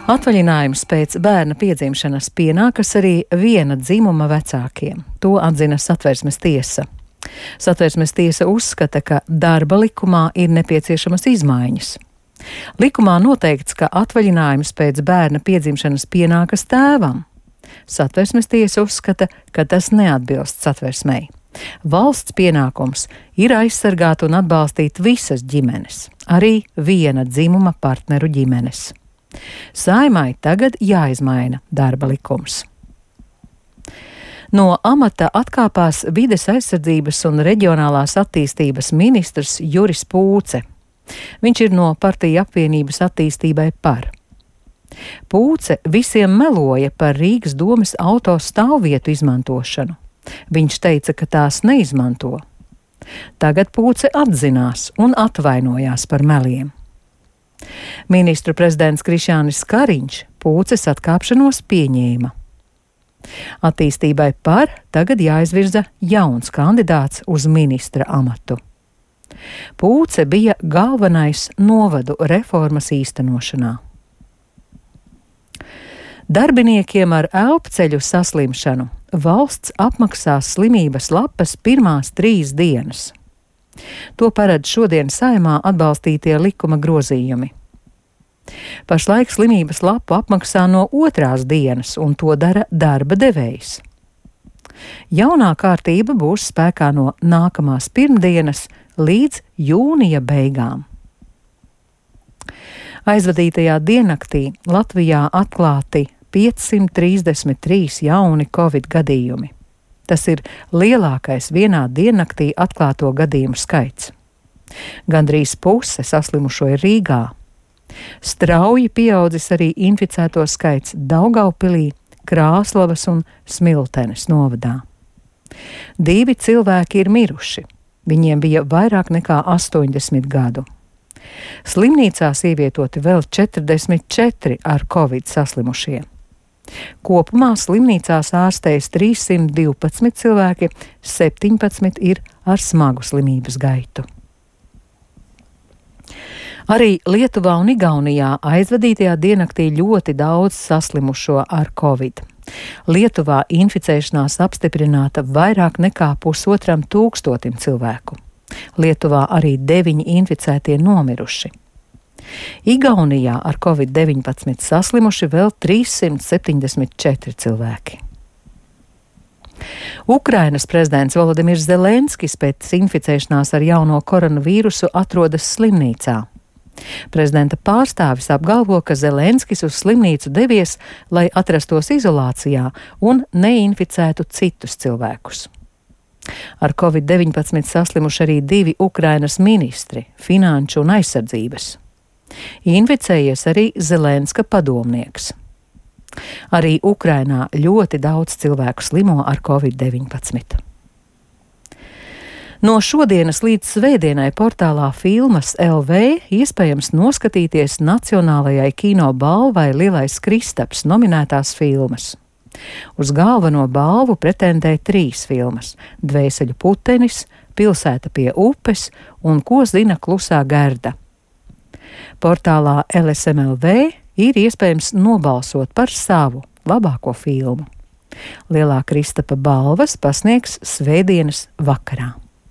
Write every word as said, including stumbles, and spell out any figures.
Atvaļinājums pēc bērna piedzimšanas pienākas arī viena dzimuma vecākiem. To atzina Satversmes tiesa. Satversmes tiesa uzskata, ka darba likumā ir nepieciešamas izmaiņas. Likumā noteikts, ka atvaļinājums pēc bērna piedzimšanas pienākas tēvam. Satversmes tiesa uzskata, ka tas neatbilst Satversmei. Valsts pienākums ir aizsargāt un atbalstīt visas ģimenes, arī viena dzimuma partneru ģimenes. Saeimai tagad jāizmaina darba likums. No amata atkāpās vides aizsardzības un reģionālās attīstības ministrs Juris Pūce. Viņš ir no partiju apvienības attīstībai par. Pūce visiem meloja par Rīgas domes auto stāvvietu izmantošanu. Viņš teica, ka tās neizmanto. Tagad Pūce atzinās un atvainojās par meliem. Ministru prezidents Krišjānis Kariņš Pūces atkāpšanos pieņēma. Attīstībai par tagad jāizvirza jauns kandidāts uz ministra amatu. Pūce bija galvenais novadu reformas īstenošanā. Darbiniekiem ar elpceļu saslimšanu valsts apmaksās slimības lapas pirmās trīs dienas. To paredz šodien Saeimā atbalstītie likuma grozījumi. Pašlaik slimības lapu apmaksā no otrās dienas, un to dara darba devējs. Jaunā kārtība būs spēkā no nākamās pirmdienas līdz jūnija beigām. Aizvadītajā diennaktī Latvijā atklāti piecsimt trīsdesmit trīs jauni covid gadījumi. Tas ir lielākais vienā diennaktī atklāto gadījumu skaits. Gandrīz puse saslimušo ir Rīgā. Strauji pieaudzis arī inficēto skaits Daugavpilī, Krāslavas un Smiltenes novadā. Divi cilvēki ir miruši. Viņiem bija vairāk nekā astoņdesmit gadu. Slimnīcās ievietoti vēl četrdesmit četri ar covid saslimušie. Kopumā slimnīcās ārstējas trīssimt divpadsmit cilvēki, septiņpadsmit ir ar smagu slimības gaitu. Arī Lietuvā un Igaunijā aizvadītajā diennaktī ļoti daudz saslimušo ar covid. Lietuvā inficēšanās apstiprināta vairāk nekā pusotram tūkstotim cilvēku. Lietuvā arī deviņi inficētie nomiruši. Igaunijā ar covid deviņpadsmit saslimuši vēl trīssimt septiņdesmit četri cilvēki. Ukrainas prezidents Volodimirs Zelenskis pēc inficēšanās ar jauno koronavīrusu atrodas slimnīcā. Prezidenta pārstāvis apgalvo, ka Zelenskis uz slimnīcu devies, lai atrastos izolācijā un neinficētu citus cilvēkus. Ar covid deviņpadsmit saslimuši arī divi Ukrainas ministri, finanšu un aizsardzības. Inficējies arī Zelenska padomnieks. Arī Ukrainā ļoti daudz cilvēku slimo ar covid deviņpadsmit. No šodienas līdz svētdienai portālā Filmas L V iespējams noskatīties Nacionālajai kino balvai Lielais Kristaps nominētās filmas. Uz galveno balvu pretendē trīs filmas – Dvēseļu putenis, Pilsēta pie upes un Ko zina klusā Gerda. Portālā L S M L V ir iespējams nobalsot par savu labāko filmu. Lielā Kristapa balvas pasniegs svētdienas vakarā.